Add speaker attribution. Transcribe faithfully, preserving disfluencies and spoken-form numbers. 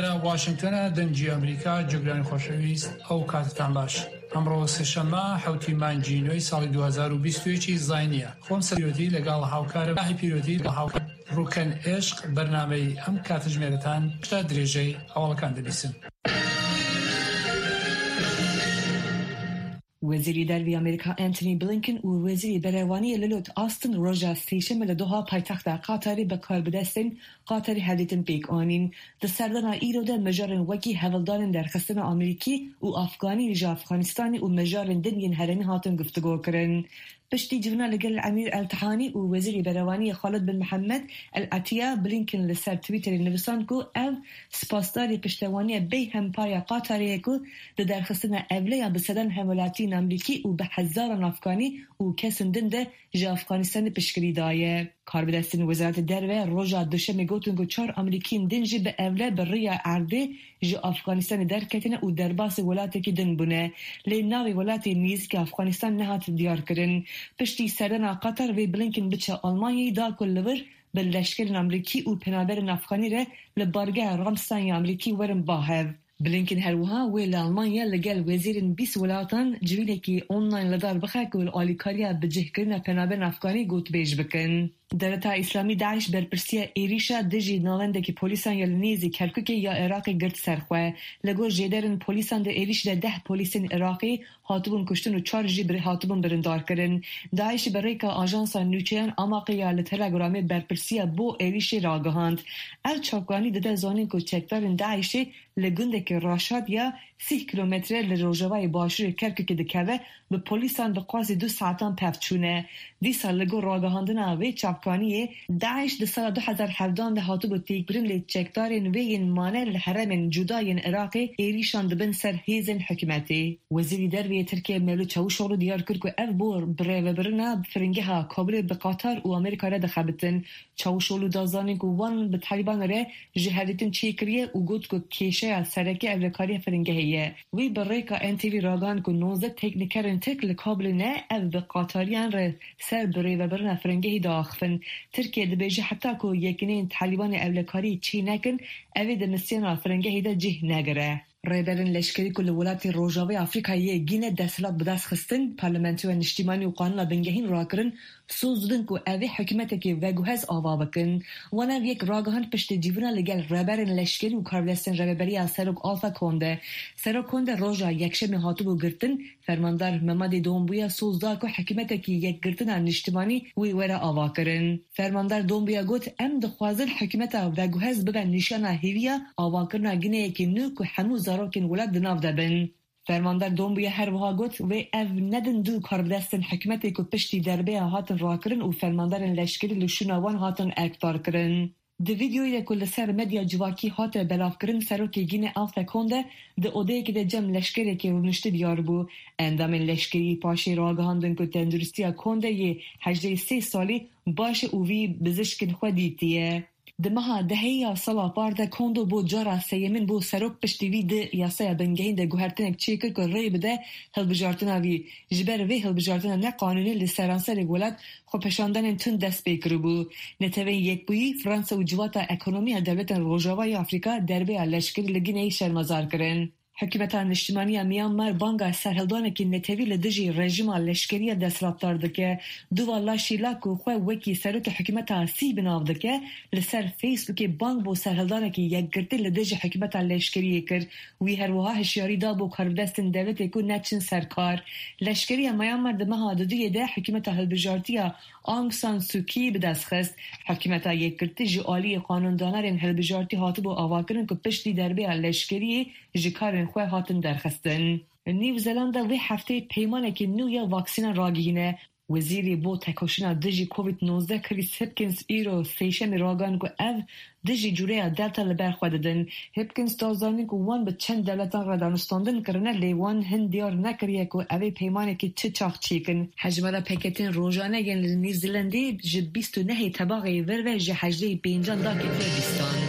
Speaker 1: ئێرە واشنگتنە، دەنگی ئەمریکا. جوگرانی خۆشەویست، ئەو کاتتان باش. ئەمڕۆ سێشەممە حەوتی مانگی نۆی ساڵی دوو هەزار و بیست و یەک زاینیە. خۆم سەرۆتی لەگەڵ هاوکارم ماهی پیرۆتی لەگەڵ هاوکار ڕوکەن عشق بەرنامەی ئەم کاتژمێرەتان تا درێژەی هەواڵەکان دەبیسن.
Speaker 2: وەزیری دەرەوەی ئەمریکا ئەنتۆنی بلینکن و وەزیری بەرەوانی لۆید ئاستن ڕۆژا سێشەممە لە دۆها پایتەختا قەتەری بە کاربەدەستێن قەتەری هەڤدیتن پێک ئانین. د سەردانا ئیرۆ دە مژارێن وەکی هەوڵدانێن دەرخستنا ئەمریکی و ئەفغانی ژ ئەفغانستانی و مژارێن دن yên هەرێمی هاتن گفتوگۆکردن. پشتی جڤینا لەگەڵ ئەمیر ئال ثانی و وەزیری بەرەوانی خالد بن محەممەد ئەلعەتیە، بلینکن لەسەر تویتەری نویساند کو ئەو سپاسداری پشتیوانیە بێ هەمپایە قەتەریە کو د دەرخستنا ئەولەیا بە سەدان هەموڵاتیێن ئەمریکی و بە هەزاران ئەفغانی و کەسên دن دە ژ ئەفغانستانی پشتگیری دایە. کاربەدەستێن وەزارەت دەرەوە ڕۆژا دوشەمê گوتن کو چوار ئەمریکیێن دن ژی بە ئەولە بە ڕێیا ئەردێ ژ ئەفغانستانی دەرکەتنە و دەرباسی وڵاتێکی دن بوونە. لێ ناوێ وڵاتێ نێزیکە ئەفغانستان نەهات دیارکردن. پشتی سەردانا قەتەر وێ بلینکن بچە ئەڵمانیای دا کو لەور بە لەشکرێن ئەمریکی و پەنابەرên ئەفغانی رە لە بارگەها ڕامستاین یا ئەمریکی وەرن باهەv. بلینکن هەروەها وێ لە ئەڵمانیا لەگەڵ وەزیرên بیست وڵاتان جڤینێکی ئۆنلاین لەدار بخە کو ئالیکاریە بەجێکردنا پەنابەرên ئەفغانی گوتوبێژ بکەن. دەولەتا ئیسلامی داعش بەرپرسیە ئێریشا دژی ناوەندێکی پۆلیسان یا لە نێزی کەرکوکێ یا عێراقی گرت سەرخوێ. لەگۆر ژێدەرên پۆلیسان دە ئێریش دە دەه پۆلیسên عێراقی هاتبوون کوشتن و چوار ژی هاتبوون بریندارکردن. داعش بە ڕێکا ئاژانسا نوچەیان ئاماقی یا لە تەلەگرامێ بەرپرسیە بۆ ئێریشێ ڕاگەهاند. ئەو چاوکانی دەدە زانین کو چەکدارên داعشێ لە گوندێکی ڕاشاد یا سی کیلۆمەترە لە ڕۆژاوای باشووری کەرکوکێ دکەوە بە پۆلیسان بە قاسی دوو ساعەتان پەڤ چوونە. دیسا لەگۆر ڕاگەهاندنا وێ چاوکانیێ داعش د ساڵا دوو هەزار حەڤدان دە هاتبوو تێکبرن لێ چەکدارên وێ yên مانە لە هەرێمên جودا yên عێراقێ ئێریشان دبن سەر هێزên حکومەتێ. وەزیری دەرەوەی تورکیە مەولود چاوشئۆغلو دیار کرد کو ئەو بۆ بڕێوەبرنا فرینگەها کابلێ بە قەتەر و ئەمریکا رە دەخەبتن. چاوشئۆغلو دا زانین کو وان بە تالیبان رە ژ هەڤدیتن چێکریە و گوت کو کێشەیا سەرەکێ ئەولەکاریە فرینگەهێ. وی بە ڕێکا ئێن تی ڤی ڕاگەهاند کو نۆزدە تەکنیکەرên تورک لە کابلێ نە ئەو بە قەتەریان رە سەر بڕێوەبرنا فرینگەهê داخفن. تورکیە دبێژە حەتا کو یەکینeyên تالیبانê ئەولەکاری چێ نەکن ئەوê د میسیۆنا فرینگەهê دە cih negire. ڕێبەرên لەشکری کو li welatê Rojavayê Afrîkayê Gîne desthilat bi dest xistin, parlamentoya niştîmanî û qanûna bingehîn rakirin, soz didin ku ev ê hikûmetekê veguhez ava bikin. Wan ev yek ragihand piştî civîna li gel rêberên leşkerî û karbidestên rêveberiya Serok Alpha Conde. Serok Conde roja yekşemê hatibû girtin, fermandar Mamadi Doumbouya soz da ku hikûmetekî yekgirtina niştîmanî wê were avakirin. Fermandar Doumbouya got em dixwazin hikûmeta veguhez bibe nîşana hêviya avakirina Gîneyekê nû ku hemû zarokên welat di nav de bin. Fermandar Doumbouya her wiha got wê ev nedin du karbidestên hikûmetê ku piştî derbeya hatin rakirin û fermandarên leşkerî li şûna wan hatin erkdarkirin. Di vîdeoyê ku li ser medya civakî hate belavkirin Serokê Gîne Alpha Conde di odeyekê de cem leşkerekê rûniştî diyar bû. Endamên leşkerî paşê ragihandin ku tenduristiya Conde yê hejdeh sê salî baş e û wî bizişkên xwe dîtiye. Di meha dehêya sala par de Kondo bo cara sêyemîn bo serok piştî wî di yasaya bingehîn de guhertinek çêkir ku rê bide hilbijartina wî. Ji ber vê hilbijartina neqanûnî li seranserê welat xwepêşandanên tund dest pê kiribû. Neteweyên Yekbûyî, Fransa û Civata Ekonomiya Dewletên Rojavayê Afrîka derbeya leşkerî li Gîneyê şermezar kirin. Hikûmeta Niştîmanî ya Myanmar banga serhildanekî netewî li dijî rejîma leşkeriya desthilatdar dike. Duwa Laşîla ku xwe wekî serokê hikûmeta sî bi nav dike, li ser Facebookê bang bo serhildanekî yekgirtî li dijî hikûmeta leşkeriyê kir. Wî her wiha hişyarî da bo karbidestên dewletê ku neçin ser kar. Leşkeriya Myanmar di meha duduyê de hikûmeta hilbijartiya Aung San Suu Kyi bi dest xist. Hikûmeta yekgirtî ji aliyê qanûndanerên hilbijartî hatibû avakirin ku piştî derbeya leşkeriyê ji karên xwe hatin derxistin. New Zelanda vê hefteyê peymanekî nû ya vaksînan ragihîne. Wezîrê bo tekoşîna dijî Covid nozdeh Chris Hipkins îro sêşemê ragihand ku ev dijî cureya Delta li ber xwe didin. Hipkins da zanîn ku wan bi çend dewletan re danûstandin kirine lê wan hin diyar nekiriye ku ev ê peymanekî çi çax çêkin. Hejmara pêketên rojane yên li New Zealandê ji bîst û nehê tebaxê vir ve ji hejdehê pêncan da ketiye bîstan.